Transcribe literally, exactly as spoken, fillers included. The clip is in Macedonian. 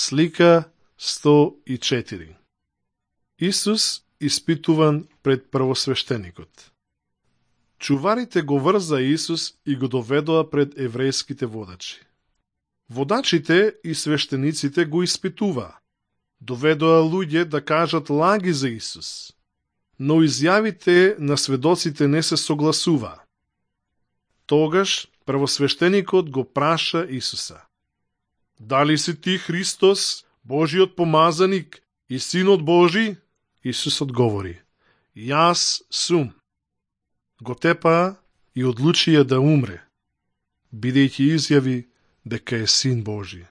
Слика сто и четири. Исус испитуван пред првосвештеникот. Чуварите го врза Исус и го доведоа пред еврејските водачи. Водачите и свештениците го испитуваа. Доведоа луѓе да кажат лаги за Исус, но изјавите на сведоците не се согласуваа. Тогаш првосвештеникот го праша Исуса: Дали си ти Христос, Божиот помазаник и Синот Божи? Исус одговори: Јас сум. Го тепаа и одлучија да умре, бидејќи изјави дека е Син Божи.